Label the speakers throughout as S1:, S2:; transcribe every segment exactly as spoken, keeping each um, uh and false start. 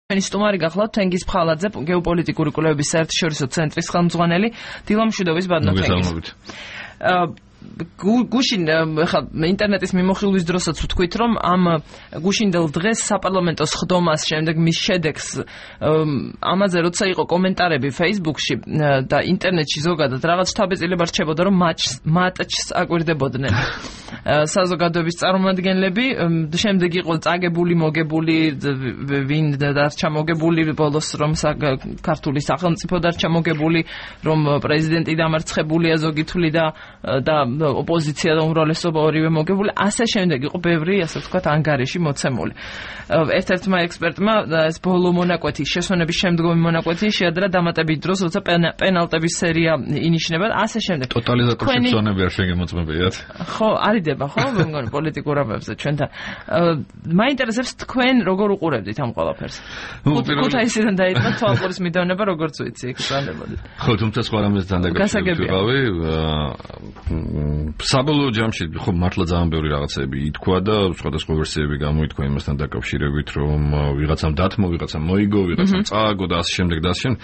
S1: Stumari gahlat tengis pxaladze geopolitიკური კვლევების საერთაშორისო ცენტრის ხელმძღვანელი დილა მშვიდობის ბადნოთენგის. გუშინ ხა ინტერნეტის მიმოხილვის დროსაც ვთქვით რომ ამ გუშინდელ დღეს საპარლამენტო სხდომას შემდეგ მის შედეგს ამაზე როცა იყო კომენტარები Facebook-ში და ინტერნეტში ზოგადად რაღაც შთაბეჭდილება რჩებოდა რომ მატჩს აკვირდებოდნენ საზოგადოების წარმომადგენლები შემდეგ იყო წაგებული მოგებული ვინ დარჩა მოგებული ბოლოს რომ ქართული სახელმწიფო დარჩა მოგებული რომ პრეზიდენტი დამარცხებულია ზოგი თვლიდა და ოპოზიცია და უმრავლესობა ორივე მოგებული ასე შემდეგ იყო ბევრი ასე ვთქვათ ანგარიში მოცემული ერთ-ერთმა ექსპერტმა ეს ბოლო მონაკვეთის შესვენების შემდგომი მონაკვეთი შეადრა დამატებით დროს როცა პენალტების სერია ინიშნება ასე შემდეგ
S2: ტოტალიზატორში ზონები არ შეგემოწმებიათ
S1: ხო არიდება ხო მე მგონი პოლიტიკურ ამბებზე ჩვენთან მაინტერესებს თქვენ როგორ უყურებდით ამ ყველაფერს ქუთაისიდან დაიწყო თვალყურის მიდევნება როგორც ვიცი იქ წანდებოდით
S2: ხო თუმცა სხვა რამესთან დაკავშირებით ვიყავი საბოლოო ჯამში ხო მართლა ძალიან ბევრი რაღაცები ითქვა და სხვადასხვა ვერსიები გამოითქვა იმასთან დაკავშირებით რომ ვიღაცამ დათმო, ვიღაცამ მოიგო, ვიღაცამ წააგო და ასე შემდეგ და ასე შემდეგ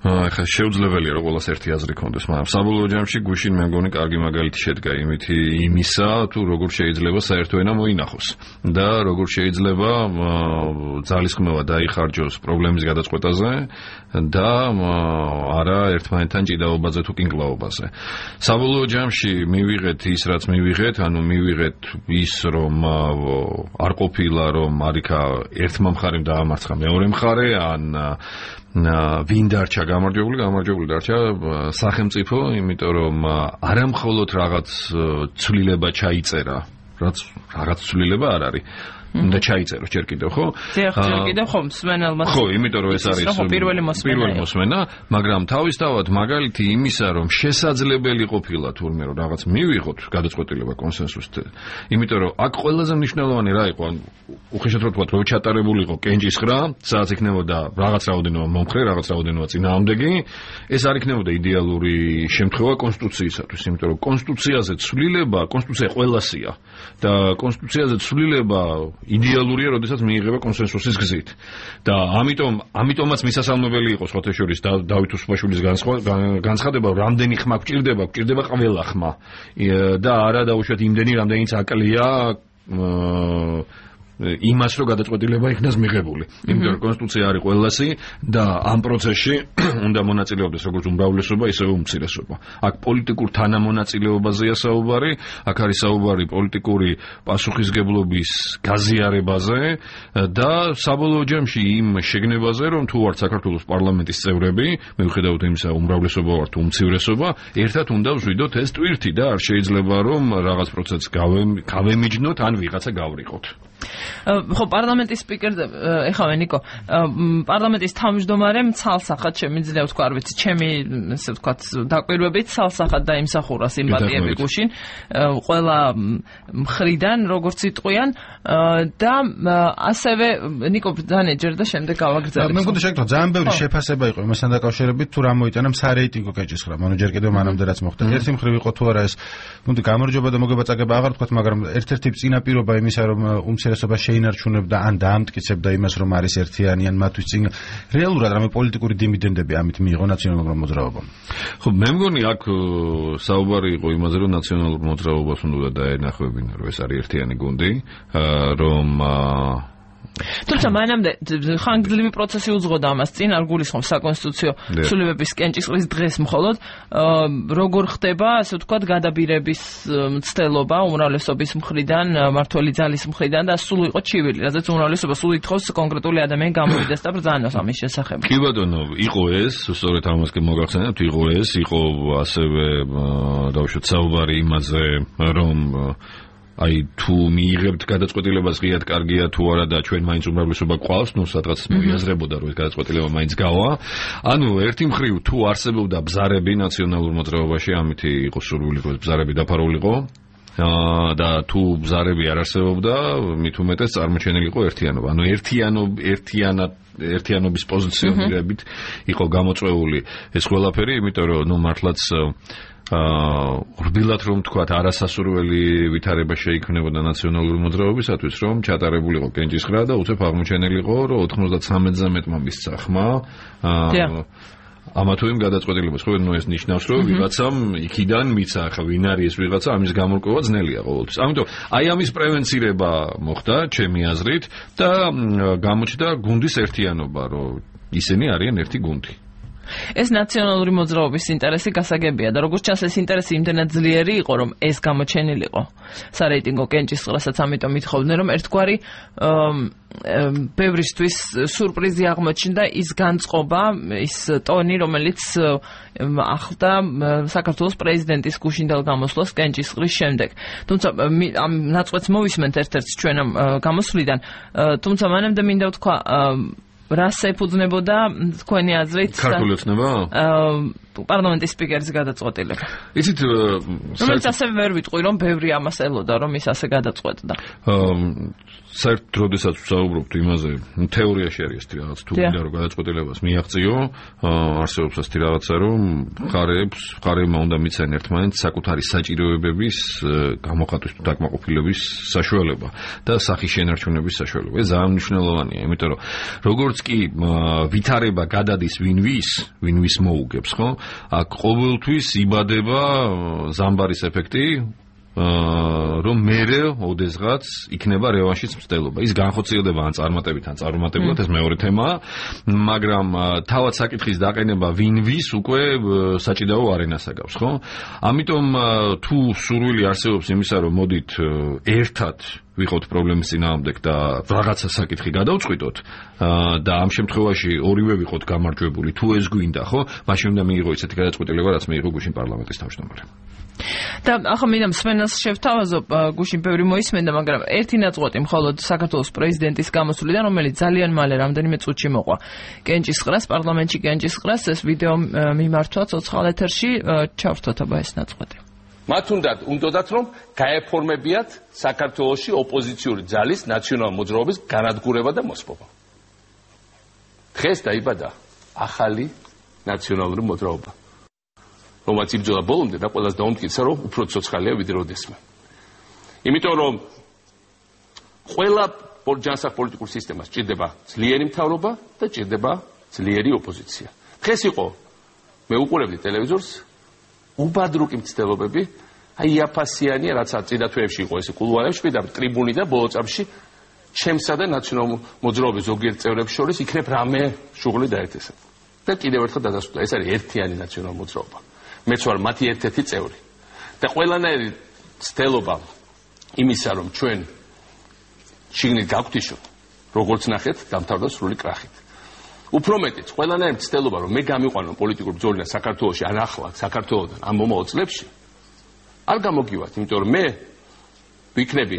S2: ახლა შეუძლებელია რომ ყველას ერთი აზრი ქონდეს, მაგრამ საბოლოო ჯამში გუშინ მე მგონი კარგი მაგალითი შედგა იმითი იმისა, თუ როგორ შეიძლება საერთო ენა მოინახოს და როგორ შეიძლება ძალისხმევა დაიხარჯოს პრობლემის გადაწყვეტაზე და არა ერთმანეთთან ჭიდაობაზე თუ კინკლაობაზე. საბოლოო ჯამში მივიღეთ ის რაც მივიღეთ, ანუ მივიღეთ ის რომ არ ყოფილა რომ არიქა ერთმა მხარემ დაამარცხა მეორე მხარე ან ვინ დარჩა გამარჯვებული, გამარჯვებული დარჩა სახელმწიფო, იმიტომ რომ არა მხოლოდ რაღაც ცვლილება ჩაიწერა, რაც რაღაც ცვლილება არ არის. და ჩაიწერო ჯერ კიდევ ხო?
S1: ჯერ კიდევ ხო მსმენელმა.
S2: ხო, იმიტომ რომ ეს არის
S1: პირველი მოსმენა.
S2: პირველი მოსმენა, მაგრამ თავისთავად მაგალითი იმისა რომ შესაძლებელი ყოფილა თურმე რომ რაღაც მივიღოთ გადაწყვეტილება კონსენსუსით. იმიტომ რომ აქ ყველაზე მნიშვნელოვანი რა იყო, უხეშად რო თქვა, რომ ჩატარებული იყო კენჭისხრა, სადაც იქნებოდა რაღაც რაოდენობა მომხრე, რაღაც რაოდენობა წინააღმდეგი, ეს არ იქნებოდა იდეალური შემთხვევა კონსტიტუციისათვის, იმიტომ რომ კონსტიტუციაზე ცვლილება, კონსტიტუცია ყველასია და კონსტიტუციაზე ცვლილება იდეალურია, როდესაც მიიღება კონსენსუსის გზით. და ამიტომ, ამიტომაც მისასალმებელი იყო სხვათა შორის დავით უსუპაშვილის განცხადება, რამდენი ხმა გვჭირდება, გვჭირდება ყველა ხმა. და არა დაუშვათ იმდენი, რამდენიც აკლია იმას რომ გადაწყვეტილება იქნას მიღებული. იმიტომ რომ კონსტიტუცია არის ყველასი და ამ პროცესში უნდა მონაწილეობდეს როგორც უმრავლესობა, ისევე უმცირესობა. აქ პოლიტიკურ თანამონაწილეობაზეა საუბარი, აქ არის საუბარი პოლიტიკური პასუხისგებლობის გაზიარებაზე და საბოლოო ჯამში იმ შეგნებაზე, რომ თუ ვართ საქართველოს პარლამენტის წევრები, მიუხედავად იმისა, უმრავლესობა ვართ თუ უმცირესობა, ერთად უნდა ვშვიდოთ ეს ტვირთი და არ შეიძლება რომ რაღაც პროცესს გავემიჯნოთ ან ვიღაცა გავრიყოთ.
S1: ხო პარლამენტის სპიკერზე ეხავე ნიკო პარლამენტის თავმჯდომარემ ცალსახად შემიძლია ვთქვა არ ვიცი ჩემი ესე ვთქვათ დაკვირვებით ცალსახად დაიმსახურა სიმპათიები გუშინ ყველა მხრიდან როგორც იტყვიან და ასევე ნიკო დანეჯერ და შემდეგ გავაგრძელებთ
S3: მე მგონი შეგეთქვა ძალიან ბევრი შეფასება იყო იმასთან დაკავშირებით თუ რა მოიტანა სარეიტინგო კენჭისხრა ანუ ჯერ კიდევ მანამდე რაც მოხდა ერთი მხრივ იყო თუ არა ეს მგონი გამარჯობა და მოგებაწაგება აღარ ვთქვათ მაგრამ ერთ-ერთი წინაპირობა იმისა რომ უმცირესობა შეინარჩუნებდა ან დაამტკიცებდა იმას რომ არის ერთიანი ან მათთვის წინ რეალურად რამე პოლიტიკური დივიდენდები ამით მიიღო ნაციონალურ მოძრაობამ.
S2: ხო მე მგონი აქ საუბარი იყო იმაზე რომ ნაციონალურ მოძრაობას უნდა დაენახებინა რომ ეს არის ერთიანი გუნდი რომ
S1: თუმცა მანამდე ხანგრძლივი პროცესი უძღოდა ამას წინ არ გულისხმობს საკონსტიტუციო ცვლილებების კენჭისყრის დღეს მხოლოდ როგორ ხდება ასე ვთქვათ გადაბირების მცდელობა უმრავლესობის მხრიდან მართველი ძალის მხრიდან და სულ იყო ჩივილი რადგან უმრავლესობა სულ ითხოვს კონკრეტული ადამიანი გამოვიდეს და ბრძანოს ამის შესახებ.
S2: კი ბატონო იყო ეს სწორედ ამას კი მოგახსენებთ იყო ეს იყო ასევე დავუშვათ საუბარი იმაზე რომ აი თუ მიიღებთ გადაწყვეტილებას ღიად კარგია თუ არა და ჩვენ მაინც უმრავლესობა გვყავს, ნუ სადღაც მიაზრებოდა რომ ეს გადაწყვეტილება მაინც გავა. ანუ ერთი მხრივ თუ არსებობდა ბზარები ნაციონალურ მოძრაობაში, ამით იყო სურვილი რომ ბზარები დაფარულიყო და თუ ბზარები არ არსებობდა, მით უმეტეს წარმოჩენილი იყო ერთიანობა. ანუ ერთიანობ ერთიანად ერთიანობის პოზიციონირებით იყო გამოწვეული ეს ყველაფერი, იმიტომ რომ ნუ მართლაც აა რბილად რომ თქვათ არასასურველი ვითარება შეიქმნებოდა ნაციონალური მოძრაობისათვის, რომ ჩატარებულიყო კენჭისყრა და უცებ აღმოჩენილი იყო, რომ ოთხმოცდათსამი მესამედმა მისცა ხმა აა ამა თუ იმ გადაწყვეტილებას. ხო, ნუ ეს ნიშნავს, რომ ვიღაცამ იქიდან მიცა, ხა ვინ არის ეს ვიღაცა, ამის გამორკვევა ძნელია ყოველთვის. ამიტომ აი ამის პრევენცირება მოხდა ჩემი აზრით და გამოჩნდა გუნდის ერთიანობა, რომ ისინი არიან ერთი გუნდი.
S1: ეს ნაციონალური მოძრაობის ინტერესი გასაგებია და როგორც ჩანს ეს ინტერესი იმდენად ძლიერი იყო, რომ ეს გამოჩენილიყო სარეიტინგო კენჭისყრასაც, ამიტომ ითხოვდნენ, რომ ერთგვარი ბევრისთვის სურპრიზი აღმოჩნდა ის განწყობა, ის ტონი, რომელიც ახლდა საქართველოს პრეზიდენტის გუშინდელ გამოსვლას კენჭისყრის შემდეგ. თუმცა ამ ნაწყვეტს მოვისმენთ ერთ-ერთს ჩვენ ამ გამოსვლიდან, თუმცა მანამდე მინდა ვთქვა რას ეფუძნებოდა თქვენი აზრით
S2: ქართული ოცნება?
S1: პარლამენტის სპიკერის გადაწყვეტილება.
S2: იცით,
S1: რომელიც ასევე ვერ ვიტყვი, რომ ბევრი ამას ელოდა, რომ ის ასე გადაწყვეტდა.
S2: საერთოდ როდესაც ვსაუბრობთ იმაზე, თეორიაში არის ეს რაღაც, თუ მინდა რომ გადაწყვეტილებას მიაღწიო, არსებობს ასეთი რაღაცა, რომ მხარეებს, მხარეებმა უნდა მიციან ერთმანეთს საკუთარი საჭიროებების გამოხატვის თუ დაკმაყოფილების საშუალება და სახის შენარჩუნების საშუალება. ეს ძალიან მნიშვნელოვანია, იმიტომ რომ როგორც კი ვითარება გადადის ვინ-ვის, ვინ-ვის მოუგებს, ხო? აქ ყოველთვის იბადება ზამბარის ეფექტი, რომ მერე ოდესღაც იქნება რევანშის მცდელობა. ის განხორციელდება ან წარმატებით, ან წარუმატებლად, ეს მეორე თემაა, მაგრამ თავად საკითხის დაყენება ვინ-ვის უკვე საჭიდაო არენას აკავს, ხო? ამიტომ თუ სურვილი არსებობს იმისა, რომ მოდით ერთად ვიყოთ პრობლემის წინააღმდეგ და რაღაცა საკითხი გადავწყვიტოთ და ამ შემთხვევაში ორივე ვიყოთ გამარჯვებული, თუ ეს გვინდა, ხო? მაშინ უნდა მიიღო ისეთი გადაწყვეტილება, რაც მიიღო გუშინ პარლამენტის თავმჯდომარე.
S1: და ახლა მინდა მსმენელს შევთავაზო, გუშინ ბევრი მოისმენდა, მაგრამ ერთი ნაწყვეტი მხოლოდ საქართველოს პრეზიდენტის გამოსვლიდან, რომელიც ძალიან მალე რამდენიმე წუთში მოყვა კენჭისყრას, პარლამენტში კენჭისყრას, ეს ვიდეო მიმართვა ცოცხალ ეთერში, ჩავრთოთ აბა ეს ნაწყვეტი.
S4: მათ უნდათ უნდათ რომ გაეფორმებიათ საქართველოში ოპოზიციური ძალის ნაციონალური მოძრაობის განადგურება და მოსპობა. დღეს დაიბადა ახალი ნაციონალური მოძრაობა, რომელიც იბრძოლა ბოლომდე და ყველას დაუმტკიცა, რომ უფრო ცოცხალია ვიდრე როდესმე. იმიტომ რომ ყველა ჯანსაღ პოლიტიკურ სისტემას ჭირდება ძლიერი მთავრობა და ჭირდება ძლიერი ოპოზიცია. დღეს იყო, მე უყურებდი ტელევიზორს, უბადრუკი მცდელობები, აი იაფასიანია, რაც წინა თვეებში იყო ესე კულუარებში და ტრიბუნი და ბოლო წამში ჩემსა და ნაციონალურ მოძრაობის ზოგიერთ წევრებს შორის იქნებ რამე შუღლი დაერთესა. და კიდევ ერთხელ დადასტურდა, ეს არის ერთიანი ნაციონალური მოძრაობა. მეც ვარ მათი ერთ-ერთი წევრი. და ყველანაირი მცდელობა იმისა, რომ ჩვენ შიგნით გავგვთიშოთ, როგორც ნახეთ, დამთავრდა სრული კრახით. უფრო მეტიც, ყველანაირი მცდელობა, რომ მე გამიყვანო პოლიტიკურ ბრძოლიდან საქართველოში, ან ახლა საქართველოდან ამ მომავალ წლებში, არ გამოგივართ, იმიტომ რომ მე ვიქნები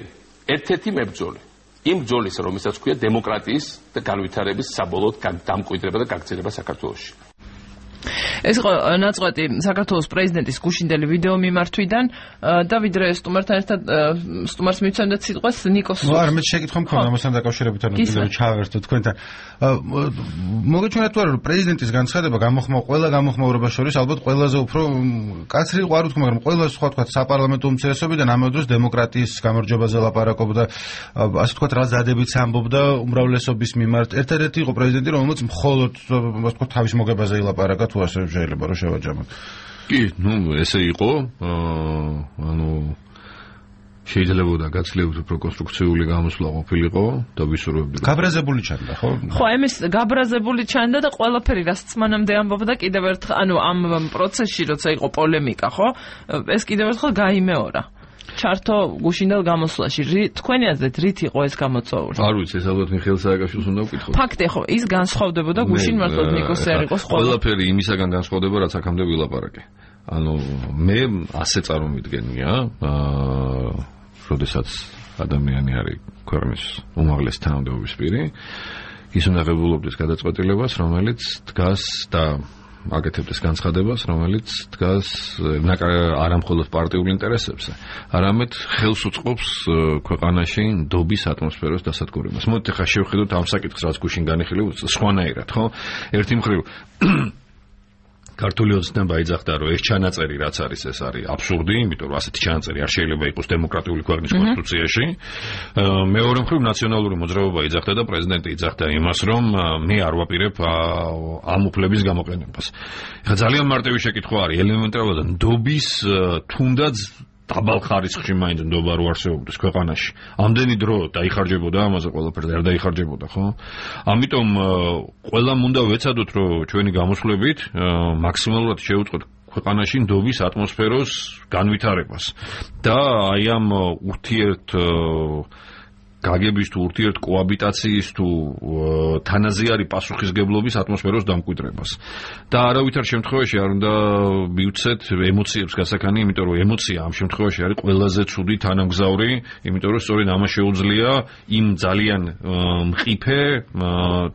S4: ერთ-ერთი მებრძოლი. იმ ბრძოლისა, რომელსაც ქვია დემოკრატიის და განვითარების საბოლოოდ დამკვიდრება და გაგრძელება საქართველოში.
S1: ეს იყო ნაწყვეტი საქართველოს პრეზიდენტის გუშინდელი ვიდეო მიმართვიდან და ვიდრე სტუმართან ერთად სტუმარს მიცემდეთ სიტყვას ნიკოს.
S3: ნუ არ მე შეკითხვა მქონდა ამასთან დაკავშირებით, ანუ კიდევ ჩავერთო თქვენთან. მოგეჩვენათ თუ არა, რომ პრეზიდენტის განცხადება გამოხმაურება ყველა გამოხმაურებას შორის ალბათ ყველაზე უფრო კაცრი ყო არ ვთქვა, მაგრამ ყველა სხვა თქვა საპარლამენტო უმცირესობიდან ამავე დროს დემოკრატიის გამარჯვებაზე ლაპარაკობდა, ასე თქვა რა ზადებიც ამბობდა უმრავლესობის მიმართ. ერთადერთი იყო პრეზიდენტი, რომელიც მხოლოდ ასე თქვა თავის მოგებაზე ილაპარაკა, თუ ასე შეიძლება რომ შევაჯამოთ.
S2: კი, ნუ ესე იყო, ანუ შეიძლება გაცილებით უფრო კონსტრუქციული გამოსვლა ყოფილიყო და ვისურვებდი.
S3: გაბრაზებული ჩანდა, ხო?
S1: ხო, ამის გაბრაზებული ჩანდა და ყველაფერი რაც მანამდე ამბობდა კიდევ ერთხელ, ანუ ამ პროცესში როცა იყო პოლემიკა, ხო? ეს კიდევ ერთხელ გაიმეორა. ჩართო გუშინდელ გამოსვლაში. თქვენი აზრით რით იყო ეს გამოწვეული?
S2: არ ვიცი, ეს ალბათ მიხეილ სააკაშვილს უნდა ვკითხო.
S1: ფაქტია, ხო, ის განსხვავდებოდა გუშინ მართლა ნიკოს არ იყოს
S2: ხოლმე. ყველაფერი იმისაგან განსხვავდება, რაც აქამდე ვილაპარაკე. ანუ მე ასე წარმოვიდგენია, აა, როდესაც ადამიანი არის ქვეყნის უმაღლესი თანამდებობის პირი, ის უნდა ღებულობდეს გადაწყვეტილებას, რომელიც დგას და აკეთებდეს განცხადებას, რომელიც დგას არა მხოლოდ პარტიულ ინტერესებზე, არამედ ხელს უწყობს ქვეყანაში ნდობის ატმოსფეროს დასადგურებას. მოდით ახლა შევხედოთ ამ საკითხს, რაც გუშინ განიხილეთ, სხვანაირად, ხო? ერთი მხრივ ქართული ოცნება იძახდა, რომ ეს ჩანაწერი რაც არის, ეს არის აბსურდი, იმიტომ რომ ასეთი ჩანაწერი არ შეიძლება იყოს დემოკრატიული ქვეყნის კონსტიტუციაში. მეორე მხრივ ნაციონალური მოძრაობა იძახდა და პრეზიდენტი იძახდა იმას, რომ მე არ ვაპირებ ამ უფლების გამოყენებას. ეხლა ძალიან მარტივი შეკითხვა არის, ელემენტარულად ნდობის თუნდაც დაბალ ხარისხში მაინც ნდობა რო არსებობდეს ქვეყანაში. ამდენი დრო დაიხარჯებოდა ამაზე ყველაფერზე, არ დაიხარჯებოდა, ხო? ამიტომ ყველამ უნდა ვეცადოთ, რომ ჩვენი გამოსვლებით მაქსიმალურად შევუწყოთ ქვეყანაში ნდობის ატმოსფეროს განვითარებას და აი ამ ურთიერთ გაგების თუ ურთიერთ კოაბიტაციის თუ თანაზიარი პასუხისგებლობის ატმოსფეროს დამკვიდრებას. და არავითარ შემთხვევაში არ უნდა მივცეთ ემოციებს გასაქანი, იმიტომ რომ ემოცია ამ შემთხვევაში არის ყველაზე ცუდი თანამგზავრი, იმიტომ რომ სწორედ ამას შეუძლია იმ ძალიან მყიფე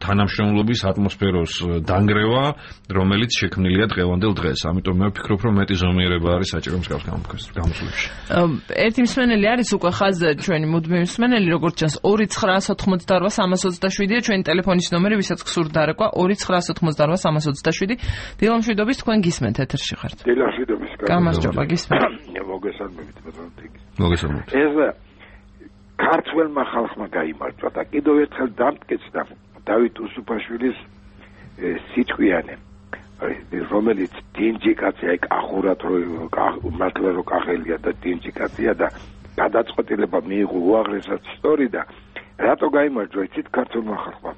S2: თანამშრომლობის ატმოსფეროს დანგრევა, რომელიც შექმნილია დღევანდელ დღეს. ამიტომ მე ვფიქრობ, რომ მეტი ზომიერება არის საჭირო მსგავს გამოსვლებში.
S1: ერთი მსმენელი არის უკვე ხაზზე ჩვენი მუდმივი მსმენელი, როგორც ჩანს ორი ცხრაას ოთხმოცდაორვა სამას ოცდაშვიდია ჩვენი ტელეფონის ნომერი, ვისაც გსურთ დარეკვა ორი ცხრაას ოთხმოცდაორვა სამას ოცდაშვიდი. დილამშვიდობის, თქვენ გისმენთ ეთერში ხართ.
S5: დილამშვიდობის.
S1: გამარჯობა, გისმენთ.
S5: მოგესალმებით, ბატონო თიგი.
S2: მოგესალმებით.
S5: ეს ქართველმა ხალხმა გაიმარჯვა და კიდევ ერთხელ დამტკეცდა დავით უსუფაშვილის სიტყვიანი, რომელიც დინჯი კაცია, იქ ახურად რომ მართლა რომ კახელია და დინჯი კაცია და გადაწყვეტილება მიიღო უაღრესად სწორი და რატო გაიმარჯვა იცით ქართულმა ხალხმა?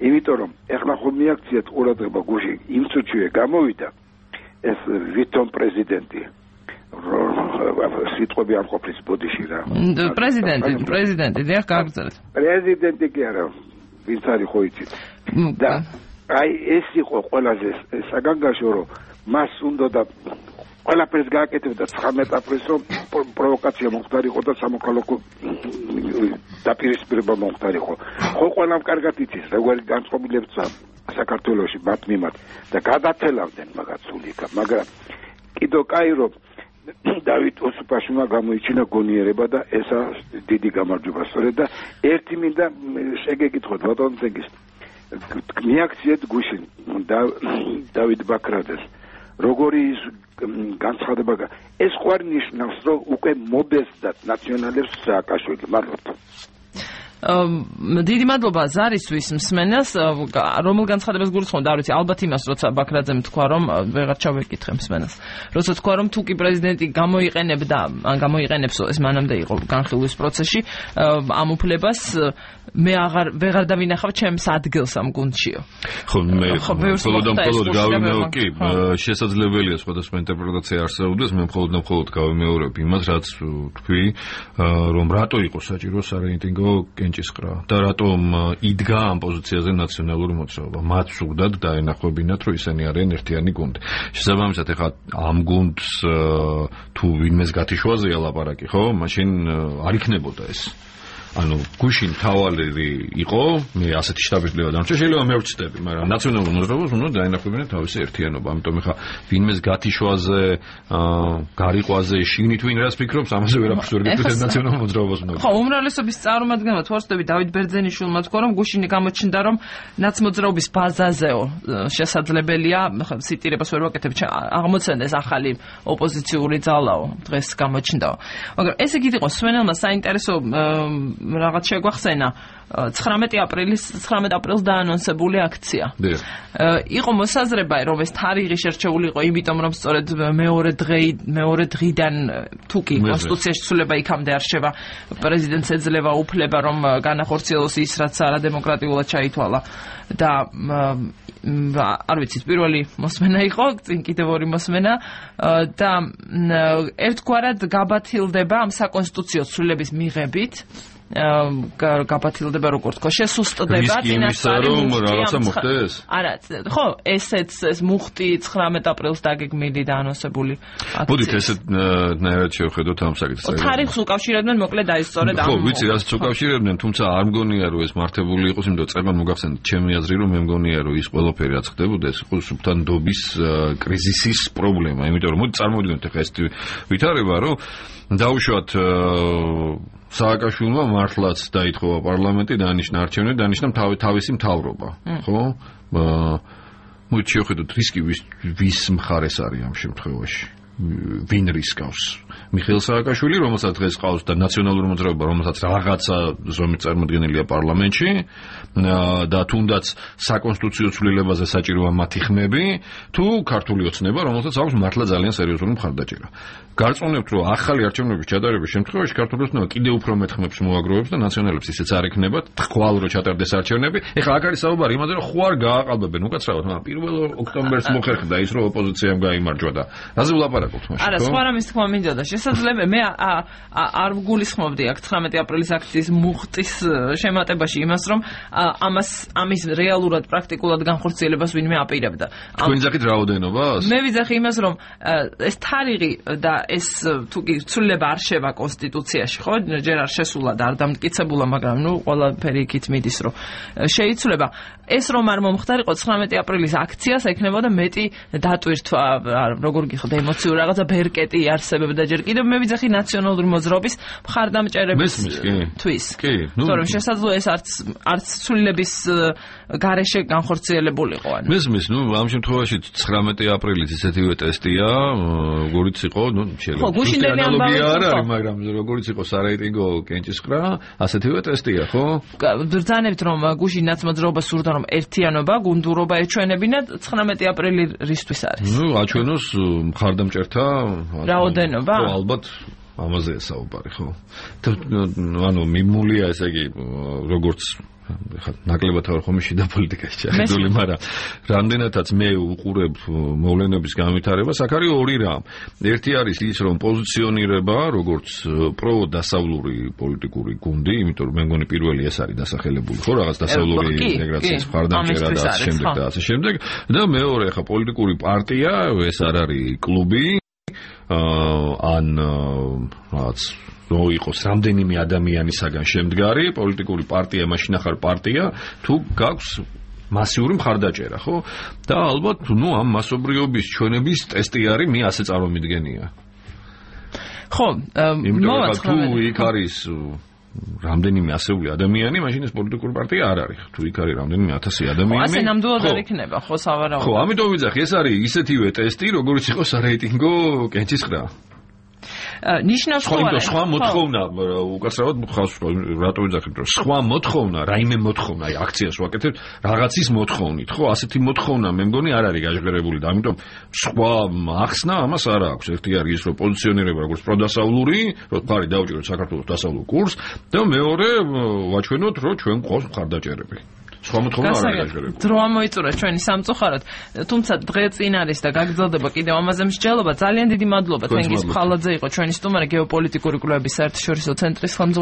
S5: იმიტომ რომ ეხლა ხომ მიაქციათ ყურადღება გუში იმ წუთშივე გამოვიდა ეს ვითომ პრეზიდენტი სიტყვები არ ყოფნის ბოდიში რა.
S1: პრეზიდენტი, პრეზიდენტი, დიახ, გააგრძელეთ.
S5: პრეზიდენტი კი არა, ვინც არის ხო იცით. და აი ეს იყო ყველაზე საგანგაშო, რომ მას უნდა და ყველაფერს გააკეთებდა ცხრამეტ აპრილს, რომ პროვოკაცია მომხდარიყო და სამოქალაქო დაპირისპირება მომხდარიყო. ხო ყველამ კარგად იცის, როგორი განწყობილებცა საქართველოში მათ მიმართ და გადათელავდნენ მაგათ სულიკა, მაგრამ კიდო კაი რომ დავით ოსუფაშვილმა გამოიჩინა გონიერება და ესა დიდი გამარჯვება სწორედ და ერთი მინდა შეგეკითხოთ ბატონო ძეგის მიაქციეთ გუშინ დავით ბაქრაძეს როგორი განცხადება ეს ხო არ ნიშნავს რომ უკვე მობესდათ ნაციონალებს სააკაშვილი მართლა
S1: დიდი მადლობა ზარისთვის მსმენელს რომელ განცხადებას გულისხმობ და არ ვიცი ალბათ იმას როცა ბაქრაძემ თქვა რომ ვეღარ ჩავეკითხე მსმენელს როცა თქვა რომ თუ კი პრეზიდენტი გამოიყენებდა ან გამოიყენებს ეს მანამდე იყო განხილვის პროცესში ამ უფლებას მე აღარ ვეღარ დავინახავ ჩემს ადგილს ამ გუნდშიო
S2: ხო მე მხოლოდ მხოლოდ გავიმეორებ კი შესაძლებელია სხვადასხვა ინტერპრეტაცია არსებობდეს მე მხოლოდ მხოლოდ გავიმეორებ იმას რაც თქვი რომ რატო იყო საჭირო სარეიტინგო კენჭისყრა და რატომ იდგა ამ პოზიციაზე ნაციონალური მოძრაობა მათ სურდათ დაენახებინათ რომ ისინი არიან ერთიანი გუნდი შესაბამისად ეხლა ამ გუნდს თუ ვინმეს გათიშვაზეა ლაპარაკი ხო მაშინ არ იქნებოდა ეს ანუ გუშინ თავალერი იყო მე ასეთი შტაბის-ძლევა დამჭა შეიძლება მე ვწდები მაგრამ ნაციონალურ მოძრაობას უნდა დაენახებინათ თავისი ერთიანობა ამიტომ ეხლა ვინმეს გათიშვაზე გარიყვაზე შიგნით ვინ რას ფიქრობს ამაზე ვერაფერს ვერ გეტყვით ნაციონალურ მოძრაობას უნდა
S1: ხო უმრავლესობის წარმომადგენელმა თორსტები დავით ბერძენიშვილმა თქვა რომ გუშინი გამოჩნდა რომ ნაცმოძრაობის ბაზაზეო შესაძლებელია ციტირებას ვერ ვაკეთებ აღმოცენდეს ახალი ოპოზიციური ძალაო დღეს გამოჩნდაო მაგრამ ესე იგი იყო სვენელმა საინტერესო რაღაც შეგვახსენა ცხრამეტი აპრილის ცხრამეტ აპრილს დაანონსებული აქცია. იყო მოსაზრება რომ ეს თარიღი შერჩეული იყო იმიტომ რომ სწორედ მეორე დღე მეორე დღიდან თუ კი კონსტიტუციაში ცვლილება იქამდე არ შევა პრეზიდენტს ეძლევა უფლება რომ განახორციელოს ის რაც არადემოკრატიულად ჩაითვალა და არ ვიცი პირველი მოსმენა იყო წინ კიდევ ორი მოსმენა და ერთგვარად გაბათილდება ამ საკონსტიტუციო ცვლილების მიღებით გაბათილდება როგორ თქო შესუსტდება
S2: წინასწარი მუხტი
S1: არა ხო ესეც ეს მუხტი ცხრამეტ აპრილს დაგეგმილი და ანონსებული აქცია.
S2: მოდით ესეთ ნაირად შევხედოთ ამ საკითხს.
S1: თარიღს უკავშირებდნენ მოკლედ აი სწორედ ამ.
S2: ხო, ვიცი, რასაც უკავშირებდნენ, თუმცა არ მგონია რომ ეს მართებული იყოს, იმიტომ რომ წერმან მოგახსენეთ ჩემი აზრი რომ მე მგონია რომ ის ყველაფერი რაც ხდებოდა ეს იყო სუფთა ნდობის კრიზისის პრობლემა, იმიტომ რომ მოდი წარმოვიდგინოთ ახლა ეს ვითარება რომ დაუშვათ სააკაშვილმა მართლაც დაითხოვა პარლამენტი დაანიშნა არჩევნები, დაანიშნა თავისი მთავრობა, ხო? მოდი შევხედოთ რისკი ვის მხარეს არის ამ შემთხვევაში. ვინ რისკავს? მიხეილ სააკაშვილი, რომელსაც დღეს ყავს და ნაციონალური მოძრაობა, რომელსაც რაღაცა ზომით წარმოდგენილია პარლამენტში და თუნდაც საკონსტიტუციო ცვლილებაზე საჭიროა მათი ხმები, თუ ქართული ოცნება, რომელსაც აქვს მართლა ძალიან სერიოზული მხარდაჭერა. გარწმუნებთ, რომ ახალი არჩევნების ჩატარების შემთხვევაში ქართული ოცნება კიდევ უფრო მეტ ხმებს მოაგროვებს და ნაციონალებს ისეც არ ექნებათ, თქვალ რო ჩატარდეს არჩევნები. ეხლა აქ არის საუბარი იმაზე, რომ ხوار გააყალბებენ უკაცრავად, მაგრამ პირველ ოქტომბერს მოხერხდა ის, რომ ოპოზიციამ გაიმარჯვა და რაზე ვლაპარაკობთ მაშინ?
S1: არა, სხვა რამის თქმა მინდოდა. შესაძლებელი მე არ ვგულისხმობდი აქ ცხრამეტი აპრილის აქციის მუხტის შემატებაში იმას, რომ ამას ამის რეალურად პრაქტიკულად განხორციელებას ვინმე აპირებდა.
S2: თქვენ ძახით რაოდენობას?
S1: მე ვიძახი იმას, რომ ეს თარიღი და ეს თუ კი ცვლილება არ შევა კონსტიტუციაში, ხო? ჯერ არ შესულა და არ დამტკიცებულა, მაგრამ ნუ ყველაფერი იქით მიდის, რომ შეიცვლება. ეს რომ არ მომხდარიყო ცხრამეტი აპრილის აქციას ეკნებოდა მეტი დატვირთვა, როგორ გიხდა ემოციურ რაღაცა ბერკეტი არსებობდა ჯერ კიდევ მე ვიძახი ნაციონალური მოძრაობის მხარდამჭერების თვის.
S2: კი, ნუ
S1: თორემ შესაძლოა ეს არც არც ცვლილების გარეშე განხორციელებულიყო.
S2: მესმის, ნუ ამ შემთხვევაში ცხრამეტი აპრილის ისეთივე ტესტია, როგორიც იყო, ნუ შეიძლება.
S1: ხო, გუშინდელი ამბავი
S2: არ არის, მაგრამ როგორიც იყო სარეიტინგო კენჭისყრა, ასეთივე ტესტია, ხო?
S1: ბრძანებთ რომ გუშინ ნაცმოძრაობა სურდა რომ ერთიანობა, გუნდურობა ეჩვენებინა ცხრამეტი აპრილი რისთვის არის?
S2: ნუ აჩვენოს მხარდამჭერთა
S1: რაოდენობა?
S2: ხო, ალბათ ამაზე საუბარი, ხო? ანუ მიმულია ესე იგი როგორც ხა ნაკლებად არ ხომ შიდა პოლიტიკაში ჩახედული, მაგრამ რამდენადაც მე უყურებ მოვლენების განვითარებას, აქ არის ორი რამ. ერთი არის ის, რომ პოზიციონირება, როგორც პრო-დასავლური პოლიტიკური გუნდი, იმიტომ რომ მე მგონი პირველი ეს არის დასახელებული, ხო, რაღაც დასავლური ინტეგრაციის მხარდამჭერა და ასე შემდეგ და ასე შემდეგ. და მეორე ხა პოლიტიკური პარტია, ეს არ არის კლუბი, ან რაღაც რო იყოს რამდენიმე ადამიანისაგან შემდგარი პოლიტიკური პარტია, მაშინ ახალ პარტია, თუ გაქვს მასიური მხარდაჭერა, ხო? და ალბათ, ნუ ამ მასობრიობის ჩვენების ტესტი არის, მე ასე წარმომიდგენია.
S1: ხო,
S2: მოვა თუ იქ არის რამდენიმე ასეული ადამიანი, მაშინ ეს პოლიტიკური პარტია არ არის. თუ იქ არის რამდენიმე ათასი ადამიანი.
S1: ასე ნამდვილად არ იქნება, ხო, სავარაუდოდ.
S2: ხო, ამიტომ ვიძახი, ეს არის ისეთივე ტესტი, როგორც იყო სარეიტინგო კენჭისყრა.
S1: ნიშნავს ხო არა?
S2: სხვა მოთხოვნა, უკაცრავად ხავს, რატო ვიძახით, რომ სხვა მოთხოვნა, რაიმე მოთხოვნა, აი აქციას ვაკეთებთ, რაღაცის მოთხოვნით, ხო? ასეთი მოთხოვნა მე მგონი არ არის გაჟღერებული და ამიტომ სხვა ახსნა ამას არ აქვს. ერთი არის ის, რომ პოზიციონირება როგორც პროდასავლური, რომ ხარი დაუჭიროთ საქართველოს დასავლურ კურსს და მეორე ვაჩვენოთ, რომ ჩვენ გვყავს მხარდაჭერები. სხვა მოთხოვნა არ არის გაჟღერებული.
S1: დრო ამოიწურა ჩვენი სამწუხაროდ, თუმცა დღე წინ არის და გაგრძელდება კიდევ ამაზე მსჯელობა. ძალიან დიდი მადლობა თენგიზ ფხალაძე იყო ჩვენი სტუმარი, გეოპოლიტიკური კვლევების საერთაშორისო ცენტრის ხელმძღვანელი.